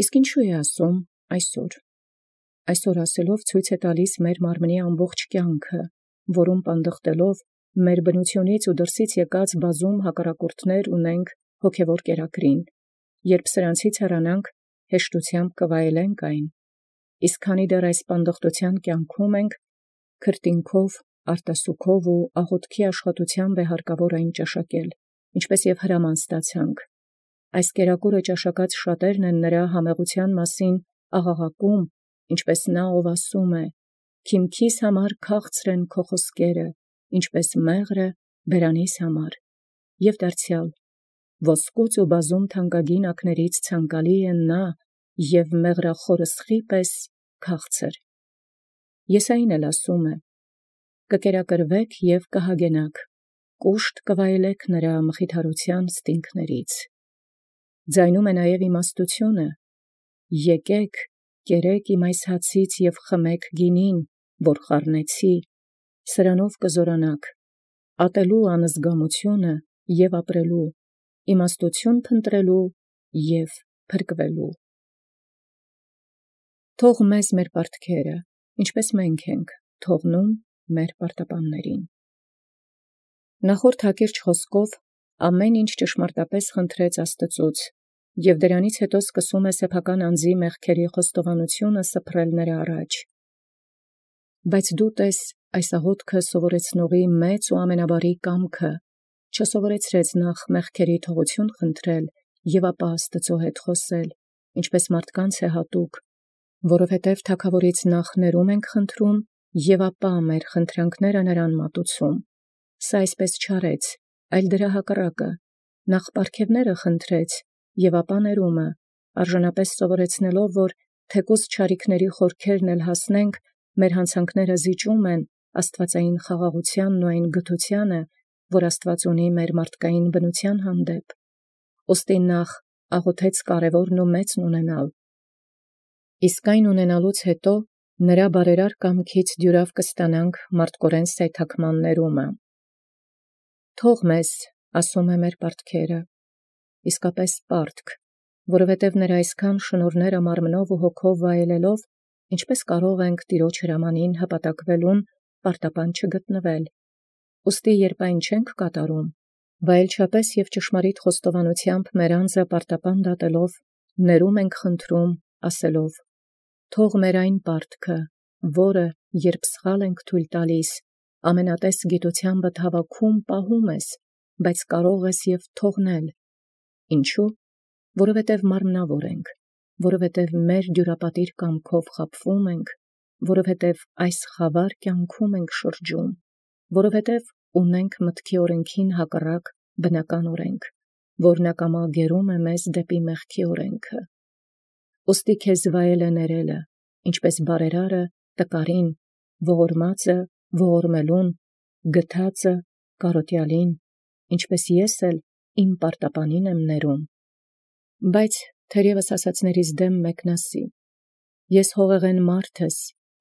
Իսկ ինչու է ասում այսօր։ Այսօր ասելով ցույց է տալիս մեր մարմնի ամբողջ կյանքը, որում պանդխտելով մեր բնությունից ու դրսից եկած բազում հակառակորդներ ունենք հոգևոր կերակրին, երբ սրանցից հեռանանք, հեշտությամբ կվայելենք այն, իսկ քանի դեռ այս պանդխտության կյանքում ենք, քրտինքով, արտասուքով ու աղոթքի աշխատությամբ է հարկավոր այն ճաշակել, ինչպես եւ հրաման ստացանք։ Այս կերակուրը ճաշակած շատերն են նրա համեղության մասին աղաղակում, ինչպես նա ով ասում է. «Քիմքիս համար քաղցր են քո խոսքերը, ինչպես մեղրը բերանիս համար», եւ դարձյալ. «Ոսկուց ու բազում թանկագին ակներից ցանկալի է նա, եւ մեղրախորսխի պես քաղցր»։ Եսային էլ ասում է. «Կկերակրվեք եւ կհագենաք, կուշտ կվայելեք նրա մխիթարության ստինքներից»։ Ձայնում է նաև իմաստությունը. «Եկեք, կերեք իմ այս հացից և խմեք գինին, որ խառնեցի, սրանով կզորանաք, ատելու անզգամությունը և ապրելու, իմաստություն փնտրելու և փրկվելու»։ Թող մեզ մեր պարտքերը, ինչպես մենք ենք, թողնում մեր պարտապաններին։ Նախորդ հակիրճ խոսքով ամեն ինչ ճշմարտապես խնդրեց Աստծուց, և դրանից հետո սկսում է սեփական անձի մեղքերի խոստովանությունը սփռել նրա առաջ։ Բայց դու տես այս աղոթքը սովորեցնողի մեծ ու ամենաբարի կամքը, չսովորեցրեց նախ մեղքերի թողություն խնդրել և ապա Աստծո հետ խոսել, ինչպես մարդկանց է հատուկ, որովհետև թագավորից նախ ներում ենք խնդրում և ապա մեր խնդրանքները նրան մատուցում։ Սա այսպես չարեց, այլ դրա հակառակը, նախ պարգևները խնդրեց և ապա ներումը, արժանապես սովորեցնելով, որ թեկուզ չարիքների խորքերն էլ հասնենք, մեր հանցանքները զիջում են աստվածային խաղաղությանն ու այն գթությանը, որ Աստված ունի մեր մարդկային բնության հանդեպ։ Ուստի նախ աղոթեց կարևորն ու մեծն ունենալ, իսկ այն ունենալուց հետո նրա բարերար կամքից դյուրավ կստանանք մարդկորեն սայթաքման ներումը։ Թող մեզ, ասում է, մեր պարտքերը, իսկապես պարտք, որովհետև նրա այսքան շնորհները մարմնով ու հոգով վայելելով, ինչպես կարող ենք Տիրոջ հրամանին հպատակվելուն պարտապան չգտնել։ Ուստի երբ այն չենք կատարում, վայելչապես և ճշմարիտ խոստովանությամբ մեր անձը պարտապան դատելով, ներում ենք խնդրում, ասելով. «Թող մեր այն պարտքը, որը, երբ սխալ ենք թույլ տալիս, ամենատես գիտությանդ հավաքում պահում ես, բայց կարող ես և թողնել։ Ինչու՞։ Որովհետև մարմնավոր ենք, որովհետև մեր դյուրապատիր կամքով խաբվում ենք, որովհետև այս խավար կյանքում ենք շրջում, որովհետև ունենք մտքի օրենքին հակառակ բնական օրենք, որն ակամա գերում է մեզ դեպի մեղքի օրենքը։ Ուստի քեզ վայել է ներելը, ինչպես բարերարը տկարին, ողորմածը ողորմելուն, գթածը կարոտյալին, ինչպես ես էլ իմ պարտապանին եմ ներում։ Բայց թերևս ասացներից դեմ մեկն ասի. «Ես հողեղեն մարդ ես,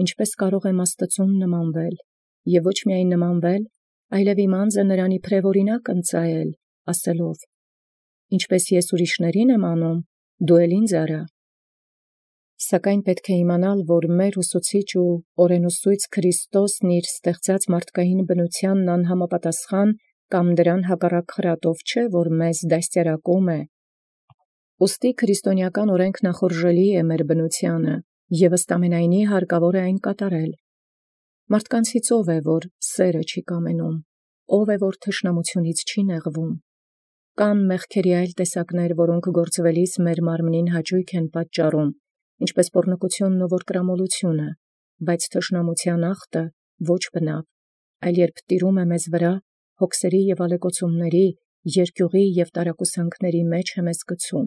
ինչպես կարող եմ Աստծուն նմանվել, և ոչ միայն նմանվել, այլև իմ անձը նրան իբրև օրինակ ընծայել, ասելով. ինչպես ես ուրիշներին եմ անում, դու էլ ինձ արա»։ Սակայն պետք է իմանալ, որ մեր ուսուցիչ ու օրենուսույց Քրիստոսն իր ստեղծած մարդկային բնությանն անհամապատասխան կամ դրան հակառակ խրատով չէ, որ մեզ դաստիարակում է։ Ուստի քրիստոնեական օրենք նախորժելի է մեր բնությանը, և ըստ ամենայնի հարկավոր է այն կատարել։ Մարդկանցից ով է, որ սերը չի կամենում, ով է, որ թշնամությունից չի նեղվում։ Կան մեղքերի այլ տեսակներ, որոնք գործվելիս մեր մարմնին հաճույք են պատճառում, ինչպես պոռնկությունն ու որկրամոլությունը, բայց թշնամության ախտը ոչ բնավ, այլ երբ տիրում է մեզ վրա, հոգսերի և ալեկոծումների, երկյուղի և տարակուսանքների մեջ է մեզ գցում։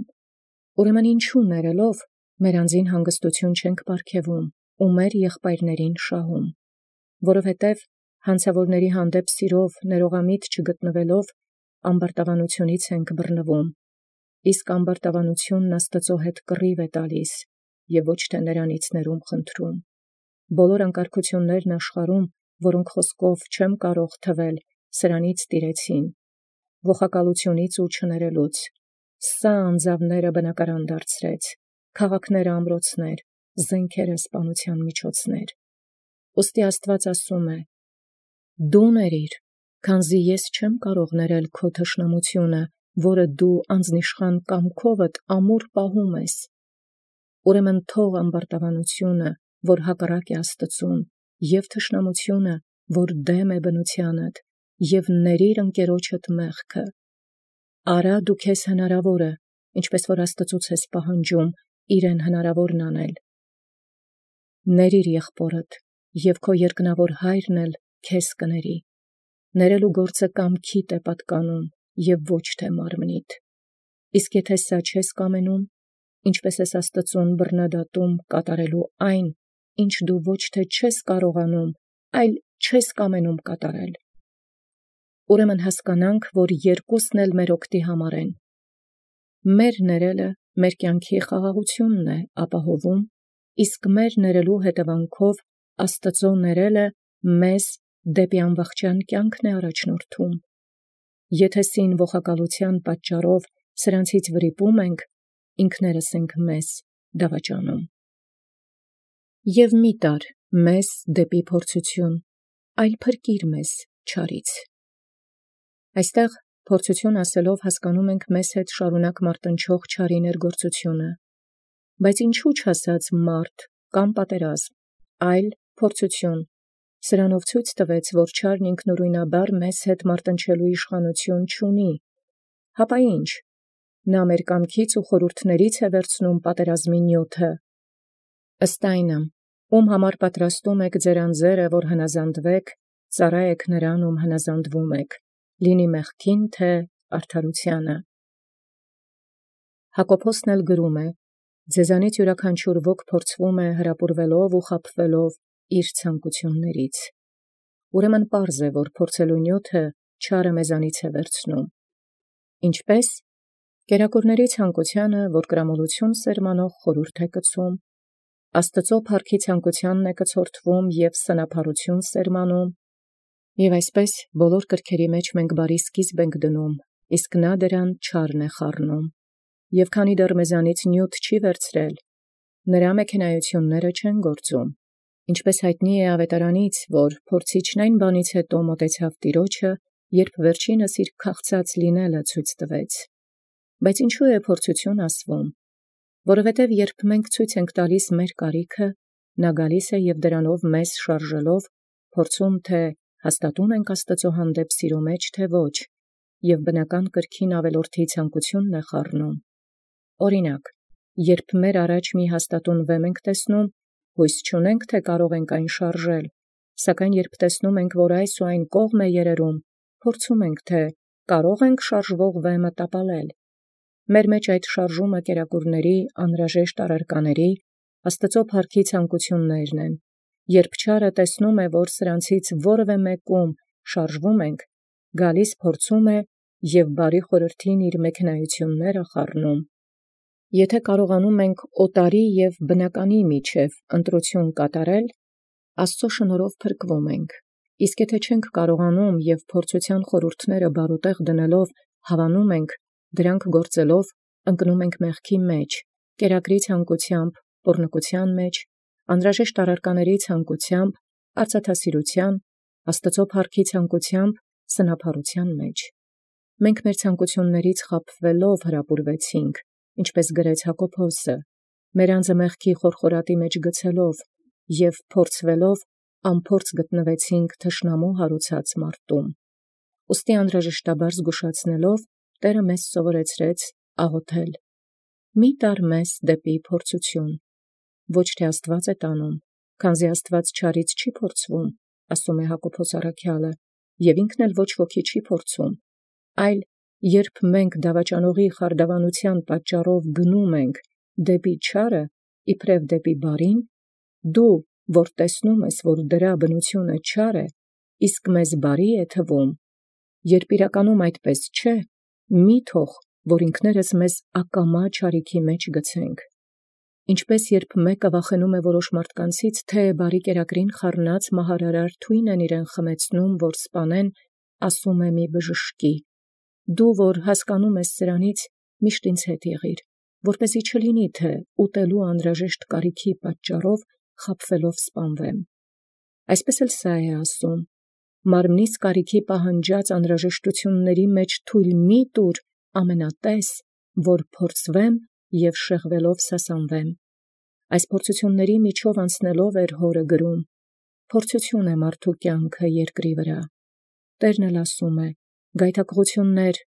Ուրեմն ինչու ներելով մեր անձին հանգստություն չենք պարգևում ու մեր եղբայրներին շահում, որովհետև հանցավորների հանդեպ սիրով ներողամիտ չգտնվելով ամբարտավանությունից ենք բռնվում, իսկ ամբարտավանությունն Աստծո հետ կռիվ է տալիս և ոչ թե նրանից ներում խնդրում։ Բոլոր անկարգություններն աշխարհում, որոնք խոսքով չեմ կարող թվել, սրանից տիրեցին, ողակալությունից ու չներելուց։ Սա անձավները բնակարան դարձրեց, քաղաքները ամրոցներ, զենքերը սպանության միջոցներ։ Ոստի Աստված ասում է. «Դու ներիր, քանզի ես չեմ կարող ներել քո թշնամությունը, որը դու անձնիշխան կամքովդ ամուր պահում ես։ Ուրեմն թող ամբարտավանությունը, որ հակառակ է Աստծուն, եւ թշնամությունը, որ դեմ է բնությանդ, եւ ներիր ընկերոջդ մեղքը։ Արա դու քեզ հնարավորը, ինչպես որ Աստծուց ես պահանջում, իրեն հնարավորն անել։ Ներիր եղբորդ, եւ քո երկնավոր հայրն էլ քեզ կների։ Ներելու գործը կամքիդ է պատկանում, եւ ոչ թե մարմնիդ։ Իսկ եթե սա չես կամենում, ինչպես ես Աստծուն բռնադատում կատարելու այն, ինչ դու ոչ թե չես կարողանում, այլ չես կամենում կատարել։ Ուրեմն հասկանանք, որ երկուսն էլ մեր օգտի համար են։ Մեր ներելը մեր կյանքի խաղաղությունն է ապահովում, իսկ մեր ներելու հետևանքով Աստծո ներելը մեզ դեպի անվախճան կյանքն է առաջնորդում։ Եթե սին ողակալության պատճառով սրանցից վրիպում ենք, ինքներս ենք մեզ դավաճանում։ Եվ մի տար մեզ դեպի փորձություն, այլ փրկիր մեզ չարից։ Այստեղ փորձություն ասելով հասկանում ենք մեզ հետ շարունակ մարտնչող չարի ներգործությունը, բայց ինչու չասած մարդ կամ պատերազմ, այլ փորձություն, սրանով ցույց տվեց, որ չարն ինքնուրույնաբար մեզ հետ մարտնչելու իշխանություն չունի, հապա ինչ, նա մեր կամքից ու խորհուրդներից է վերցնում պատերազմի նյութը, ըստ այնմ, ում համար պատրաստում եք ձեր անձերը, որ հնազանդվեք, ծառա եք նրան, ում հնազանդվում եք, լինի մեղքին, թե արդարությանը։ Հակոբոսն էլ գրում է. ձեզանից յուրաքանչյուր ոք փորձվում է հրապուրվելով ու խաբվելով իր ցանկություններից։ Ուրեմն պարզ է, որ փորձելու նյութը չարը մեզանից է վերցնում։ Ինչպես կերակուրների ցանկությանը, որ կրամոլություն սերմանող խորհուրդ է կցում, Աստծո փառքի ցանկությանն է կցորդվում եւ սնափառություն սերմանում, եւ այսպես բոլոր կրքերի մեջ մենք բարի սկիզբ ենք դնում, իսկ նա դրան չարն է խառնում։ Եվ քանի դեռ մեզանից նյութ չի վերցրել, նրա մեքենայությունները չեն գործում, ինչպես հայտնի է ավետարանից, որ փորձիչն այն բանից հետո մոտեցավ Տիրոջը, երբ վերջինս իր քաղցած լինելը ցույց տվեց։ Բայց ինչու է փորձություն ասվում, որովհետև երբ մենք ցույց ենք տալիս մեր կարիքը, նա գալիս է եւ դրանով մեզ շարժելով, փորձում թե հաստատում ենք Աստծո հանդեպ սիրո մեջ, թե ոչ, եւ բնական կրքին ավելորդի ցանկությունն է խառնում։ Օրինակ, երբ մեր առաջ մի հաստատուն վեմ ենք տեսնում, հույս չունենք, թե կարող ենք այն շարժել, սակայն երբ տեսնում ենք, որ այս ու այն կողմ է երերում, փորձում ենք, թե կարող ենք շարժվող վեմը տապալել։ Մեր մեջ այդ շարժումը կերակուրների, անհրաժեշտ առարկաների, Աստծո փառքի ցանկություններն են։ Երբ չարը տեսնում է, որ սրանցից որևէ մեկում շարժվում ենք, գալիս փորձում է եւ բարի խորհրդին իր մեքենայությունները խառնում։ Եթե կարողանում ենք օտարի եւ բնականի միջև ընտրություն կատարել, Աստծո շնորհով փրկվում ենք։ Իսկ եթե չենք կարողանում եւ փորձության խորհուրդները բարուտեղ դնելով հավանում ենք, դրանք գործելով ընկնում ենք մեղքի մեջ, կերակրի ցանկությամբ, պոռնկության մեջ, անհրաժեշտ առարկաների ցանկությամբ, արծաթասիրության, Աստծո փառքի ցանկությամբ, սնափառության մեջ։ Մենք մեր ցանկություններից խաբվելով հրապուրվեցինք, ինչպես գրեց Հակոբոսը, մեր անձը մեղքի խորխորատի մեջ գցելով եւ փորձվելով անփորձ գտնվեցինք թշնամու հարուցած մարտում։ Ուստի անհրաժեշտաբար զգուշացնելով Տերը մեզ սովորեցրեց աղոթել. մի տար մեզ դեպի փորձություն, ոչ թե Աստված է տանում, քանզի Աստված չարից չի փորձվում, ասում է Հակոբոս առաքյալը, եւ ինքն էլ ոչ ոքի չի փորձում, այլ երբ մենք դավաճանողի խարդավանության պատճառով գնում ենք դեպի չարը, իբրև դեպի բարին, դու, որ տեսնում ես, որ դրա բնությունը չար է, իսկ մեզ բարի է թվում, երբ իրականում այդպես չէ, մի թող, որ ինքներս մեզ ակամա չարիքի մեջ գցենք։ Ինչպես երբ մեկը վախենում է որոշ մարդկանցից, թե բարի կերակրին խառնած մահարարար թույն են իրեն խմեցնում, որ սպանեն, ասում է մի բժշկի. դու, որ հասկանում ես սրանից, միշտ ինձ հետ եղիր, որպեսզի չլինի թե ուտելու անհրաժեշտ կարիքի պատճառով խաբվելով սպանվեմ։ Այսպես էլ սա է ասում. մարմնիս կարիքի պահանջած անհրաժեշտությունների մեջ թույլ մի տուր ամենատես, որ փորձվեմ և շեղվելով սասանվեմ։ Այս փորձությունների միջով անցնելով էր հորը գրում. փորձություն է մարդու կյանքը երկրի վրա։ Տերն էլ ասում է. գայթակղություններ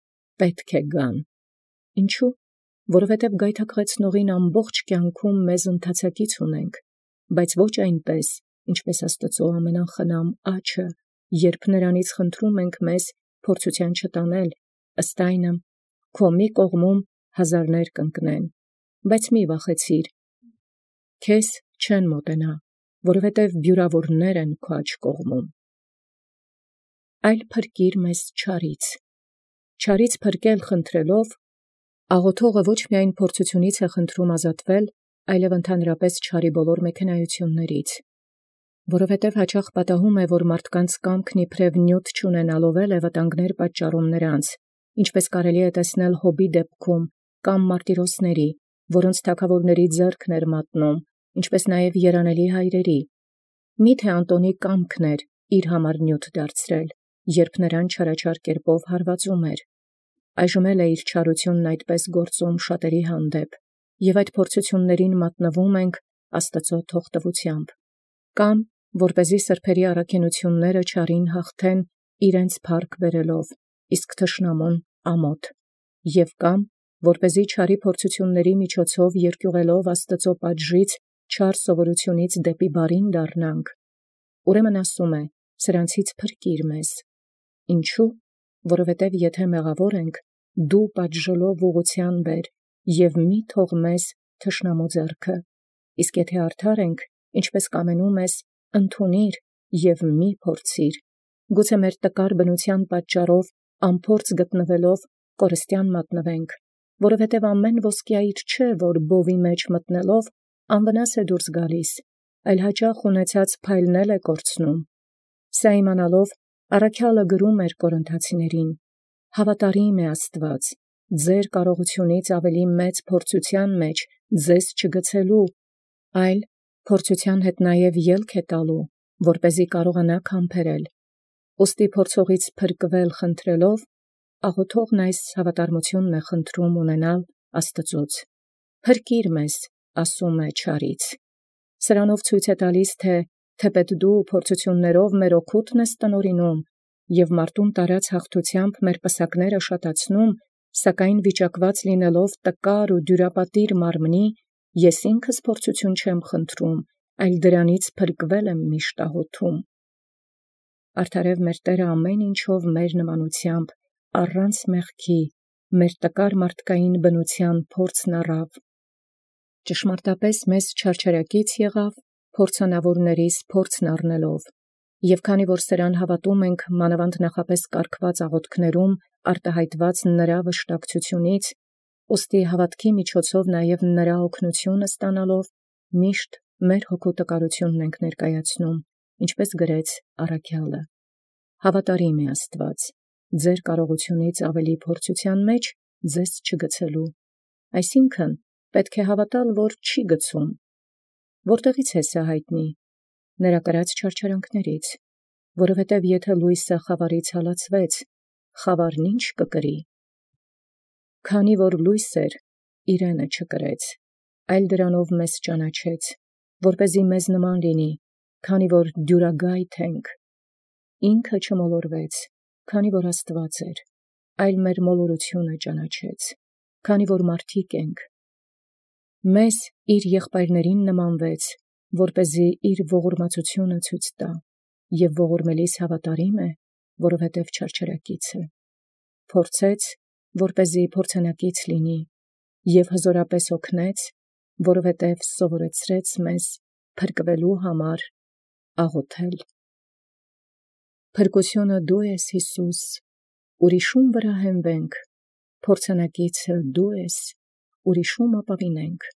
պետք է գան։ Ինչու՞։ Որովհետև գայթակղեցնողին ամբողջ կյանքում մեզ ընթացակից ունենք, բայց ոչ այնպես, ինչպես Աստծո ամենախնամ աջը, երբ նրանից խնդրում ենք մեզ փորձության չտանել, ըստ այնմ, քո մի կողմում հազարներ կընկնեն, բայց մի վախեցիր, քեզ չեն մոտենա, որովհետև բյուրավորներ են քո աջ կողմում։ Այլ փրկիր մեզ չարից։ Չարից փրկել խնդրելով, աղոթողը ոչ միայն փորձությունից է խնդրում ազատվել, այլև ընդհանրապես չարի բոլոր մեքենայություններից, որովհետև հաճախ պատահում է, որ մարդկանց կամքն իբրև նյութ չունենալով է վտանգներ պատճառում նրանց, ինչպես կարելի է տեսնել Հոբի դեպքում կամ մարտիրոսների, որոնց թագավորների ձեռքն էր մատնում, ինչպես նաև երանելի հայրերի։ Միթե Անտոնի կամքն էր իր համար նյութ դարձրել, երբ նրան չարաչար կերպով հարվածում էր։ Այժմ էլ է իր չարությունն այդպես գործում շատերի հանդեպ, և այդ փորձություններին մատնվում ենք Աստծո թողտվությամբ, կամ որպեսզի սրբերի առաքինությունները չարին հաղթեն իրենց փառք բերելով, իսկ թշնամուն ամոթ, և կամ որպեսզի չարի փորձությունների միջոցով երկյուղելով Աստծո պատժից չար սովորությունից դեպի բարին դառնանք։ Ուրեմն ասում է. սրանցից փրկիր մեզ։ Ինչու՞։ Որովհետև եթե մեղավոր ենք, դու պատժելով ուղղության բեր, և մի թող մեզ թշնամու ձեռքը, իսկ եթե արդար ենք, ինչպես կամենում ես, ընդունիր և մի փորձիր, գուցե մեր տկար բնության պատճառով անփորձ գտնվելով կորստյան մատնվենք, որովհետև ամեն ոսկյայիր չէ, որ բովի մեջ մտնելով անվնաս է դուրս գալիս, այլ հաճախ ունեցած փայլնել է կորցնում։ Սա իմանալով առաքյալը գրում էր Կորինթացիներին. հավատարիմ է Աստված, ձեր կարողությունից ավելի մեծ փորձության մեջ ձեզ չգցելու, այլ փորձության հետ նաև ելք է տալու, որպեսզի կարողանաք համբերել։ Ուստի փորձողից փրկվել խնդրելով, աղոթողն այս հավատարմությունն է խնդրում ունենալ Աստծուց։ Փրկիր մեզ, ասում է չարից։ Սրանով ցույց է տալիս, թե թեպետ դու փորձություններով մեր օգուտն ես տնօրինում և մարտում տարած հաղթությամբ մեր պսակները շատացնում, սակայն վիճակված լինելով տկար ու դյուրապատիր մարմնի, ես ինքս փորձություն չեմ խնդրում, այլ դրանից փրկվել եմ միշտ աղոթում։ Արդարև մեր Տերը ամեն ինչով մեր նմանությամբ, առանց մեղքի, մեր տկար մարդկային բնության փորձն առավ։ Ճշմարտապես մեզ չարչարակից եղավ, փորձանավորներիս փորձն առնելով, և քանի որ սրան հավատում ենք մանավանդ նախապես կարգված աղոթքներում արտահայտված նրա վշտակցությունից, ուստի հավատքի միջոցով նաև նրա օգնությունը ստանալով, միշտ մեր հոգու տկարությունն ենք ներկայացնում, ինչպես գրեց առաքյալը. հավատարիմ է Աստված, ձեր կարողությունից ավելի փորձության մեջ ձեզ չգցելու, այսինքն պետք է հավատալ, որ չի գցում։ Որտեղից է սա հայտնի։ Նրա կրած չարչարանքներից, որովհետև եթե լույսը խավարից հալածվեց, խավարն ինչ կկրի։ Քանի որ լույս էր, իրենը չկրեց, այլ դրանով մեզ ճանաչեց, որպեսզի մեզ նման լինի, քանի որ դյուրագայթ ենք։ Ինքը չմոլորվեց, քանի որ Աստված էր, այլ մեր մոլորությունը ճանաչեց, քանի որ մարդիկ ենք։ Մեզ իր եղբայրներին նմանվեց, որպեսզի իր ողորմածությունը ցույց տա, և ողորմելիս հավատարիմ է, որովհետև չարչարակից է։ Փորձեց, որպեսզի փորձանակից լինի, և հզորապես օգնեց, որովհետև սովորեցրեց մեզ փրկվելու համար աղոթել։ Փրկությունը դու ես, Հիսուս, ուրիշում վրա հենվենք, փորձանակիցը դու ես, ուրիշում ապավինենք,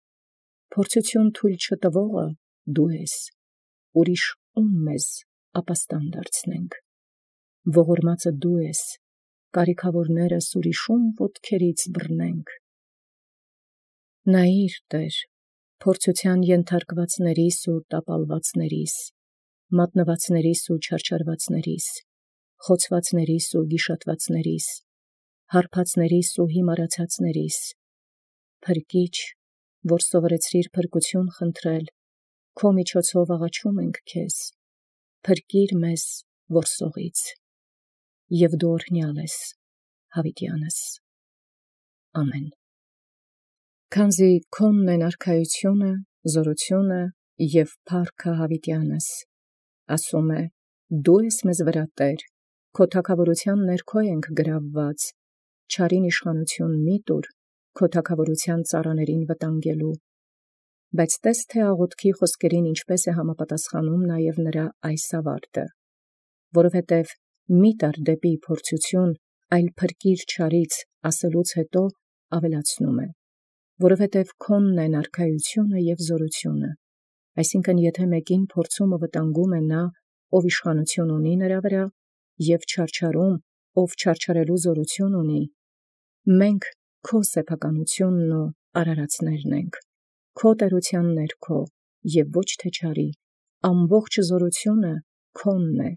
փորձություն թույլ չտվողը դու ես, ուրիշ ում մեզ ապաստան դարձնենք, ողորմածը դու ես, կարիքավորներս ուրիշում ոտքերից բռնենք։ Նայիր, Տեր, փորձութեան ենթարկվածներիս ու տապալվածներիս, մատնվածներիս ու չարչարվածներիս, խոցվածներիս ու գիշատվածներիս, հարբածներիս ու հիմարացածներիս, փրկիչ, որ սովորեցրիր փրկություն խնդրել, քո միջոցով աղաչում ենք քեզ, փրկիր մեզ որսողից, և դու օրհնյալ ես, հավիտյանս։ Ամեն։ Քանզի քոնն են արքայությունը, զորությունը և փառքը հավիտյանս, ասում է, դու ես մեզ վրա Տեր, քո թագավորութեան ներքո ենք գրավված, չարին իշխանություն մի տուր, քո թագավորութեան ծառաներին վտանգելու։ Բայց տես թե աղոթքի խոսքերին ինչպես է համապատասխանում նաև նրա այս ավարտը, որովհետև մի տար դեպի փորձություն, այլ փրկիր չարից ասելուց հետո ավելացնում է, որովհետև քոնն են արքայությունը և զորությունը, այսինքն եթե մեկին փորձումը վտանգում է նա, ով իշխանություն ունի նրա վրա, և չարչարում, ով չարչարելու զորություն ունի, մենք քո սեփականությունն ու արարածներն ենք, քո տերութեան ներքո, և ոչ թե չարի, ամբողջ զորությունը քոնն է,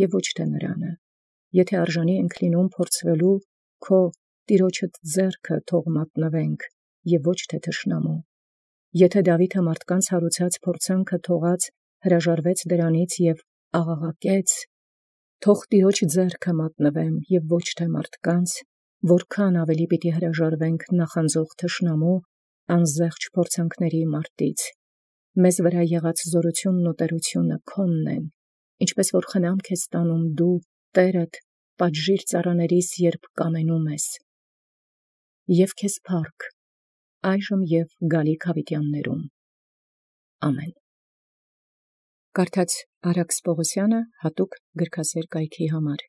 և ոչ թե նրանը, եթե արժանի ենք լինում փորձվելու, քո տիրոջդ ձեռքը թող մատնվենք, և ոչ թե թշնամու, եթե Դավիթը մարդկանց հարուցած փորձանքը թողած հրաժարվեց դրանից և աղաղակեց, թող տիրոջ ձեռքը մատնվեմ և ոչ թե մարդկանց, որքան ավելի պիտի հրաժարվենք նախանձող թշնամու անզեղջ փորձանքների մարտից, մեզ վրա եղած զորությունն ու տերությունը քոնն են, ինչպես որ խնամք ես տանում դու Տերդ պատժիր ծառաներիս, երբ կամենում ես, և քեզ փառք, այժմ և գալիք հավիտյաններում։ Ամեն։ Կարդաց Արաքս Պողոսյանը հատուկ գրքասեր կայքի համար։